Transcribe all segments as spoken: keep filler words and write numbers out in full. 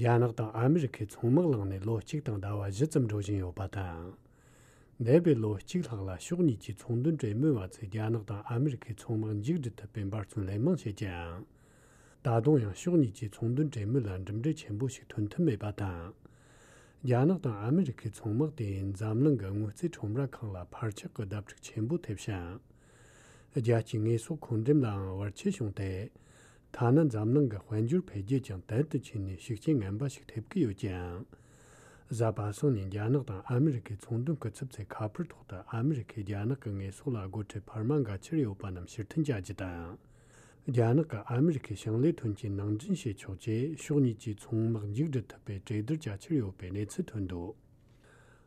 རྒྱ་ནག་དང་ཨ་མི་རི་ཁའི་ཚོང་དམག་ལངས་ནས་ལོ་གཅིག་དང་ཟླ་བ་བཞི་ཙམ་འགྲོ་བཞིན་ཡོད་པ་དང་། འདས་པའི་ལོ་གཅིག་ལྷག་ལ་ཕྱོགས་གཉིས་ཀྱི་ཚོང་དོན་གྲོས་མོལ་བ་ཚོས་རྒྱ་ནག་དང་ཨ་མི་རི་ཁའི་ཚོང་དམག་མཇུག་སྒྲིལ་ཐུབ་པའི་འབད་བརྩོན་ལན་མང་བྱེད་ཀྱང་། ད་དུང་ཡང་ཕྱོགས་གཉིས་ཀྱི་ཚོང་དོན་གྲོས་མོལ་ལ་གྲུབ་འབྲས་ཆེན་པོ་ཞིག་ཐོན་ཐུབ་མེད་པ་དང་། རྒྱ་ནག་དང་ཨ་མི་རི་ཁའི་ཚོང་དམག་དེ་འཛམ་གླིང་གི་དངུལ་རྩིས་ཁྲོམ་ར་ཁག་ལ་འཕར་ཆག་གི་བརྡ་སྤྲོད་ཆེན་པོ་ཐེབས་ཤིང་། རྒྱལ་སྤྱིའི་དངོས་ཟོག་མཁོ་འགྲེམས་ལའང་བར་ཆད་བྱུང་སྟེ། ཐ་ན་འཛམ་གླིང་གི་དཔལ་འབྱོར་འཕེལ་རྒྱས་ཀྱང་དལ་དུ་ཕྱིན་ནས་ཤུགས་རྐྱེན་ངན་པ་ཞིག་ཐེབས་ཀྱི་ཡོད་ཀྱང་། གཟའ་པ་སངས་ཉིན་རྒྱ་ནག་དང་ཨ་མི་རི་ཁའི་ཚོང་དོན་སྐུ་ཚབ་ཚོས་ཁ་པར་ཐོག་ཏུ་ཨ་མི་རི་ཁས་རྒྱ་ནག་གི་དངོས་ཟོག་ལ་སྒོ་ཁྲལ་འཕར་མ་འགའ་ཁྱེར་ཡོད་པ་རྣམས་ཕྱིར་འཐེན་བྱ་རྒྱུ་དང་། རྒྱ་ནག་གིས་ཨ་མི་རི་ཁའི་ཞིང་ལས་ཐོན་སྐྱེད་ནང་འདྲེན་བྱེད་ཆོག་ཅེས་ཕྱོགས་གཉིས་ཀྱི་ཚོང་དམག་མཇུག་སྒྲིལ་ཐུབ་པའི་གྲོས་བསྡུར་བྱ་འཆར་ཡོད་པའི་གནས་ཚུལ་ཐོན་འདུག་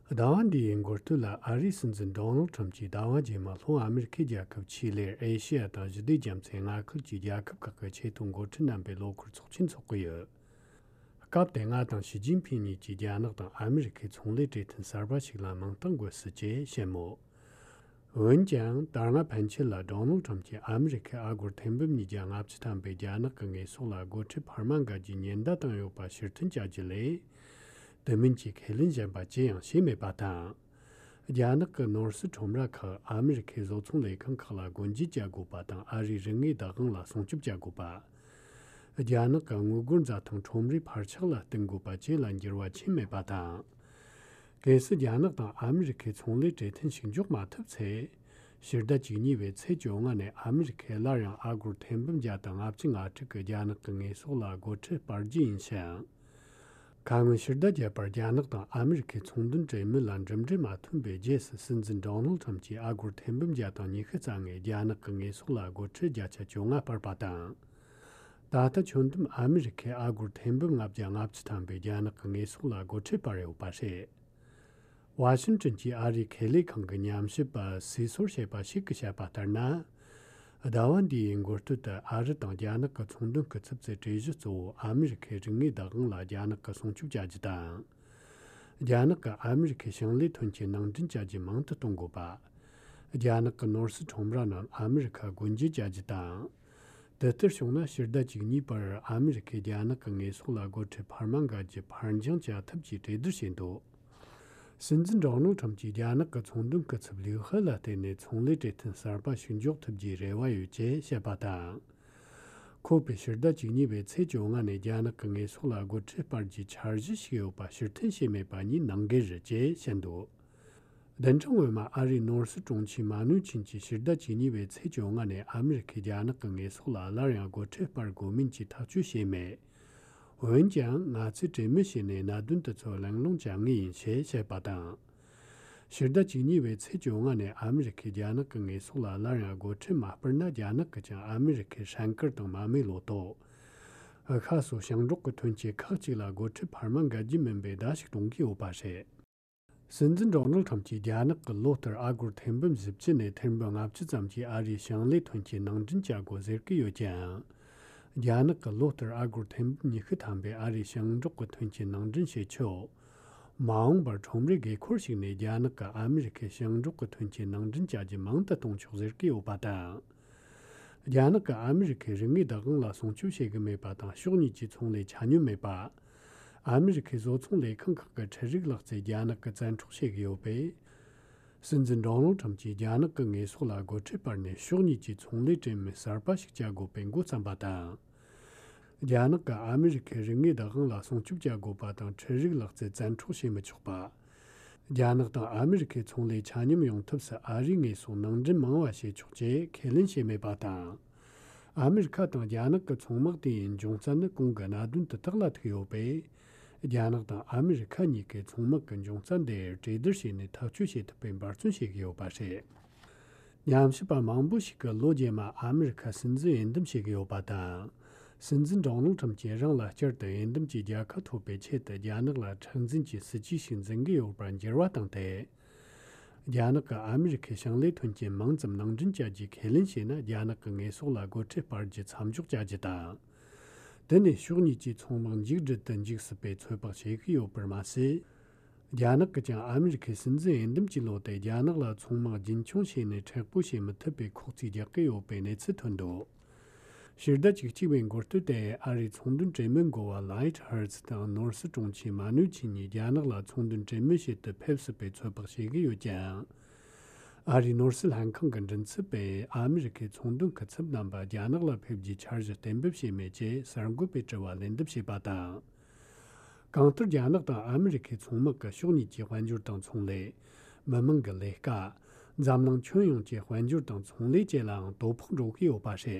ཟླ་བ་འདིའི་འགོ་སྟོད་ལ་ཨ་རིའི་སྲིད་འཛིན་ཌོ་ནལ་ཁྲམ་གྱིས་ཟླ་བ་རྗེས་མ་ལྷོ་ཨ་མི་རི་ཁའི་རྒྱལ་ཁབ་ཆི་ལིར་ཨེ་ཤེ་ཡ་དང་ཞི་བདེ་རྒྱ་མཚོའི་མངའ་ཁུལ་གྱི་རྒྱལ་ཁབ་ཁག་གི་ཆེས་མཐོའི་འགོ་ཁྲིད་རྣམ་པའི་ལོ་འཁོར་ཚོགས་ཆེན་འཚོགས་ཀྱི་ཡོད། སྐབས་དེ་ང་དང་ཞི་ཅིན་ཕིང་གཉིས་ཀྱིས་རྒྱ་ནག་དང་ཨ་མི་རི་ཁའི་ཚོང་ལས་གྲོས་མཐུན་གསར་པ་ཞིག་ལ་མིང་རྟགས་འགོད་སྲིད་ཅེས་བཤད་མོད། འོན་ཀྱང་ད་སྔ་ཕན་ཆད་ལ་ཌོ་ནལ་ཁྲམ་གྱིས་ཨ་མི་རི་ཁའི་ཨ་སྒོར་ཐེར་འབུམ་ཉིས་བརྒྱ་ལྔ་བཅུ་ཐམ་པའི་རྒྱ་ནག་གི་དངོས་ཟོག་ལ་སྒོ་ཁྲལ་འཕར་མ་འགའ་རྒྱུའི་ཉེན་བརྡ་བཏང་ཡོད་པ་ཕྱིར་འཐེན་བྱ་རྒྱུ་ལས། དེ་མིན་གྱི་ཁས་ལེན་གཞན་པ་ཅི་ཡང་བྱས་མེད་པ་དང་། རྒྱ་ནག་གི་ནོར་སྲིད་ཁྲོམ་ར་ཁག་ཨ་མི་རི་ཁའི་བཟོ་ཚོང་ལས་ཁང་ཁག་ལ་སྒོ་འབྱེད་བྱ་དགོས་པ་དང་ཨ་རིའི་རིན་དངུལ་བདག་དབང་ལ་སྲུང་སྐྱོབ་བྱ་དགོས་པ། རྒྱ་ནག་གི་དངུལ་སྒོར་འཛའ་ཐང་ཁྲོམ་རའི་འཕར་ཆག་ལ་བསྟུན་དགོས་པ་བཅས་ལ་འགྱུར་བ་ཕྱིན་མེད་པ་དང་། གལ་སྲིད་རྒྱ་ནག་དང་ཨ་མི་རི་ཁའི་ཚོང་ལས་གྲོས་མཐུན་ཞིག་འཇོག་མ་ཐུབ་ཚེ། ཕྱི་ཟླ་བཅུ་གཉིས་པའི་ཚེས་བཅོ་ལྔ་ནས་ཨ་མི་རི་ཁས་སླར་ཡང་ཨ་སྒོར་ཐེར་འབུམ་བརྒྱ་དང་ལྔ་བཅུ་ང་དྲུག་གི་རྒྱ་ནག་གི་དངོས་ཟོག་ལ་སྒོ་ཁྲལ་སྤར་རྒྱུ་ཡིན་ཞིང་། ཁ་སྔོན་ཕྱི་ཟླ་བརྒྱད་པར་རྒྱ་ནག་དང་ཨ་མི་རི་ཁའི་ཚོང་དོན་གྲོས་མོལ་ལ་འགྲུབ་འབྲས་མ་ཐོན་པའི་རྗེས་སུ་སྲིད་འཛིན་ཌོ་ནལ་ཁྲམ་གྱིས་ཨ་སྒོར་ཐེར་འབུམ་བརྒྱ་དང་ཉི་ཤུ་རྩ་ལྔའི་རྒྱ་ནག་གི་དངོས་ཟོག་ལ་སྒོ་ཁྲལ་བརྒྱ་ཆ་བཅོ་ལྔ་སྤར་བ་དང་། ད་ལྟ་ཁྱོན་བསྡོམས་ཨ་མི་རི་ཁས་ཨ་སྒོར་ཐེར་འབུམ་ལྔ་བརྒྱ་ལྔ་བཅུ་ཐམ་པའི་རྒྱ་ནག་གི་དངོས་ཟོག་ལ་སྒོ་ཁྲལ་སྤར་ཡོད་པ་རེད། ཝ་ཤིང་ཏོན་གྱི་ཨ་རིའི་ཁེ་ལས་ཁང་གི་ཉམས་ཞིབ་པ་སི་སོར་བྱས་པ་ཞིག་གིས་བཤད་པ་ལྟར་ན། ཟླ་བ་འདིའི་འགོ་སྟོད་དུ་ཨ་རི་དང་རྒྱ་ནག་གི་ཚོང་དོན་སྐུ་ཚབ་ཚོས་གྲོས་གཞི་གཙོ་བོ་ཨ་མི་རི་ཁའི་རིན་དངུལ་བདག་དབང་ལ་རྒྱ་ནག་གིས་སྲུང་སྐྱོབ་བྱ་རྒྱུ་དང་། རྒྱ་ནག་གིས་ཨ་མི་རི་ཁའི་ཞིང་ལས་ཐོན་སྐྱེད་ནང་འདྲེན་བྱ་རྒྱུ་མང་དུ་གཏོང་དགོས་པ། རྒྱ་ནག་གི་ནོར་སྲིད་ཁྲོམ་ར་རྣམས་ཨ་མི་རི་ཁར་སྒོ་འབྱེད་བྱ་རྒྱུ་དང་། དེ་ལྟར་བྱུང་ན་ཕྱི་ཟླ་བཅུ་གཉིས་པར་ཨ་མི་རི་ཁས་རྒྱ་ནག་གི་དངོས་ཟོག་ལ་སྒོ་ཁྲལ་འཕར་མ་འགའ་རྒྱུ་ཕར་འགྱངས་བྱ་ཐབས་ཀྱི་གྲོས་བསྡུར་བྱས་འདུག་སྲིད་འཛིན་ཌོ་ནལ་ཁྲམ་གྱིས་རྒྱ་ནག་གི་ཚོང་དོན་སྐུ་ཚབ་ལིའུ་ཧེ་ལ་བརྟེན་ནས་ཚོང་ལས་གྲོས་མཐུན་གསར་པ་ཞིག་འཇོག་ཐུབ་རྒྱུའི་རེ་བ་ཡོད་ཅེས་བཤད་པ་དང་། ཁོ་པས་ཕྱི་ཟླ་བཅུ་གཉིས་པའི་ཚེས་བཅོ་ལྔ་ནས་རྒྱ་ནག་གི་དངོས་ཟོག་ལ་སྒོ་ཁྲལ་སྤར་རྒྱུའི་འཆར་གཞི་ཞིག་ཡོད་པ་ཕྱིར་འཐེན་བྱས་མེད་པ་གཉིས་ནང་འགལ་རེད་ཅེས་བཤད་འདུག་བདུན་ཕྲག་སྔོན་མ་ཨ་རིའི་ནོར་སྲིད་དྲུང་ཆེ་མ་ནུའུ་ཆིན་གྱིས་ཕྱི་ཟླ་བཅུ་གཉིས་པའི་ཚེས་བཅོ་ལྔ་ནས་ཨ་མི་རི་ཁས་རྒྱ་ནག་གི་དངོས་ཟོག་ལ་སླར་ཡང་སྒོ་ཁྲལ་སྤར་དགོས་མིན་གྱི་ཐག་གཅོད་བྱས་མེད། འོན་ཀྱང་ང་ཚོས་གྲོས་མོལ་བྱས་ནས་གནད་དོན་དེ་ཚོར་གླེང་སློང་བྱ་ངེས་ཡིན་ཞེས་བཤད་པ་དང་། ཕྱི་ཟླ་བཅུ་གཉིས་པའི་ཚེས་བཅོ་ལྔ་ནས་ཨ་མི་རི་ཁས་རྒྱ་ནག་གི་དངོས་ཟོག་ལ་སླར་ཡང་སྒོ་ཁྲལ་མ་སྤར་ན་རྒྱ་ནག་གིས་ཀྱང་ཨ་མི་རི་ཁའི་ཧྲན་ཀར་དང་མ་རྨོས་ལོ་ཏོག་ཤ་སོགས་ཞིང་འབྲོག་གི་ཐོན་སྐྱེད་ཁག་ཅིག་ལ་སྒོ་ཁྲལ་འཕར་མ་འགལ་རྒྱུ་མིན་པའི་བརྡ་ཞིག་གཏོང་གི་ཡོད་པ་རེད། སྲིད་འཛིན་ཌོ་ནལ་ཁྲམ་གྱིས་རྒྱ་ནག་གིས་ལོ་ལྟར་ཨ་སྒོར་ཐེར་འབུམ་བཞི་བཅུ་ནས་ཐེར་འབུམ་ལྔ་བཅུ་ཙམ་གྱི་ཨ་རིའི་ཞིང་ལས་ཐོན་སྐྱེད་ནང་འདྲེན་བྱ་དགོས་ཟེར་གྱི་ཡོད་ཀྱང་། རྒྱ་ནག་གིས་ལོ་ལྟར་ཨ་སྒོར་ཐེར་འབུམ་ཉི་ཤུ་ཐམ་པའི་ཨ་རིའི་ཞིང་འབྲོག་གི་ཐོན་སྐྱེད་ནང་འདྲེན་བྱེད་ཆོག་མ་འོངས་པར་ཁྲོམ་རའི་དགོས་མཁོར་གཞིགས་ནས་རྒྱ་ནག་གིས་ཨ་མི་རི་ཁའི་ཞིང་འབྲོག་གི་ཐོན་སྐྱེད་ནང་འདྲེན་བྱ་རྒྱུ་མང་དུ་གཏོང་ཆོག་ཟེར་གྱི་ཡོད་པ་དང་། རྒྱ་ནག་གིས་ཨ་མི་རི་ཁའི་རིན་དངུལ་བདག་དབང་ལ་སྲུང་སྐྱོབ་བྱེད་ཀྱི་མེད་པ་དང་ཕྱོགས་གཉིས་ཀྱི་ཚོང་ལས་ཆ་སྙོམས་མེད་པ། ཨ་མི་རི་ཁའི་བཟོ་ཚོང་ལས་ཁང་ཁག་གི་ཁྲལ་རིག་ལག་རྩལ་རྒྱ་ནག་གིས་བཙན་འཕྲོག་བྱེད་ཀྱི་ཡོད་པས། སྲིད་འཛིན་ཌོ་ནལ་ཁྲམ་གྱིས་རྒྱ་ནག་གི་དངོས་ཟོག་ལ་སྒོ་ཁྲལ་སྤར་ནས་ཕྱོགས་གཉིས་ཀྱི་ཚོང་ལས་གྲོས་མོལ་གསར་པ་ཞིག་བྱ་དགོས་པའི་འགོ་བརྩམས་པ་དང་། རྒྱ་ནག་གིས་ཨ་མི་རི་ཁའི་རིན་དངུལ་བདག་དབང་ལ་སྲུང་སྐྱོབ་བྱ་དགོས་པ་དང་ཁྲལ་རིག་ལག་རྩལ་བཙན་འཕྲོག་བྱེད་མི་ཆོག་པ། རྒྱ་ནག་དང་ཨ་མི་རི་ཁའི་ཚོང་ལས་ཆ་སྙོམས་ཡོང་ཐབས་སུ་ཨ་རིའི་དངོས་ཟོག་ནང་འདྲེན་མང་བ་བྱེད་ཆོག་ཅེས་ཁས་ལེན་བྱས་མེད་པ་དང་། ཨ་མི་རི་ཁ་དང་རྒྱ་ནག་གི་ཚོང་དམག་དེའི་འབྱུང་རྩ་ནི་གོང་གི་གནད་དོན་དེ་དག་ལ་ཐུག་ཡོད་པས། རྒྱ་ནག་དང་ཨ་མི་རི་ཁ་གཉིས་ཀའི་ཚོང་དམག་གི་འབྱུང་རྩ་འདིར་གྲོས་བསྡུར་བྱས་ནས་ཐག་གཅོད་བྱེད་ཐུབ་པའི་འབད་བརྩོན་བྱེད་ཀྱི་ཡོད་པ་རེད། ཉམས་ཞིབ་པ་མང་པོ་ཞིག་གིས་ལོ་རྗེས་མ་ཨ་མི་རི་ཁ་སྲིད་འཛིན་འོས་འདེམས་བྱེད་ཀྱི་ཡོད་པ་དང་། སྲིད་འཛིན་ཌོ་ནལ་ཁྲམ་གྱིས་རང་ལ་བསྐྱར་དུ་འོས་འདེམས་ཀྱི་རྒྱལ་ཁ་ཐོབ་པའི་ཆེད་དུ་རྒྱ་ནག་ལ་མཁྲེགས་འཛིན་གྱི་སྲིད་ཇུས་ཤིག་འཛིན་གྱི་ཡོད་པར་འགྱུར་བ་བཏང་སྟེ། རྒྱ་ནག་གིས་ཨ་མི་རི་ཁའི་ཞིང་ལས་ཐོན་སྐྱེད་མང་ཙམ་ནང་འདྲེན་བྱ་རྒྱུའི་ཁས་ལེན་བྱས་ན་རྒྱ་ནག་གི་དངོས་ཟོག་ལ་སྒོ་ཁྲལ་སྤར་རྒྱུ་མཚམས་འཇོག་བྱ་རྒྱུ་དང་། དེ་ནས་ཕྱོགས་གཉིས་ཀྱི་ཚོང་དམག་མཇུག་སྒྲིལ་དུ་འཇུག་སྲིད་པའི་ཚོད་དཔག་བྱེད་ཀྱི་ཡོད་པར་མ་ཟད། རྒྱ་ནག་གིས་ཀྱང་ཨ་མི་རི་ཁའི་སྲིད་འཛིན་འོས་འདེམས་ཀྱི་ལོ་དེ་རྒྱ་ནག་ལ་ཚོང་དམག་རྒྱུན་འཁྱོངས་བྱས་ནས་མཁྲེགས་པོ་བྱེད་མི་ཐུབ་པའི་ཁོག་རྩིས་རྒྱག་གི་ཡོད་པའི་གནས་ཚུལ་ཐོན་འདུག་ཕྱི་ཟླ་བཅུ་གཅིག་པའི་འགོ་སྟོད་དེ་ཨ་རིའི་ཚོང་དོན་གྲོས་མོལ་འགོ་བ་ལའིད་ཧར་ཙི་དང་ནོར་སྲིད་དྲུང་ཆེ་མ་ནུའུ་ཆི་གཉིས་རྒྱ་ནག་ལ་ཚོང་དོན་གྲོས་མོལ་བྱེད་དུ་ཕེབས་སྲིད་པའི་ཚོད་དཔག་བྱེད་ཀྱི་ཡོད་ཀྱང་། ཨ་རིའི་ནོར་སྲིད་ལྷན་ཁང་གི་མགྲིན་ཚབ་པས་ཨ་མི་རི་ཁའི་ཚོང་དོན་སྐུ་ཚབ་རྣམ་པ་རྒྱ་ནག་ལ་ཕེབས་རྒྱུའི་འཆར་གཞི་གཏན་འབེབས་བྱས་མེད་ཅེས་གསར་འགོད་པའི་དྲི་བར་ལན་འདེབས་བྱས་པ་དང་། གང་ལྟར་རྒྱ་ནག་དང་ཨ་མི་རི་ཁའི་ཚོང་དམག་གི་ཕྱོགས་གཉིས་ཀྱི་དཔལ་འབྱོར་དང་ཚོང་ལས། མི་དམངས་ཀྱི་ལས་ཀ། འཛམ་གླིང་ཁྱོན་ཡོངས་ཀྱི་དཔལ་འབྱོར་དང་ཚོང་ལས་བཅས་ལའང་དོ་ཕོག་འགྲོ་གི་ཡོད་པ་རེད།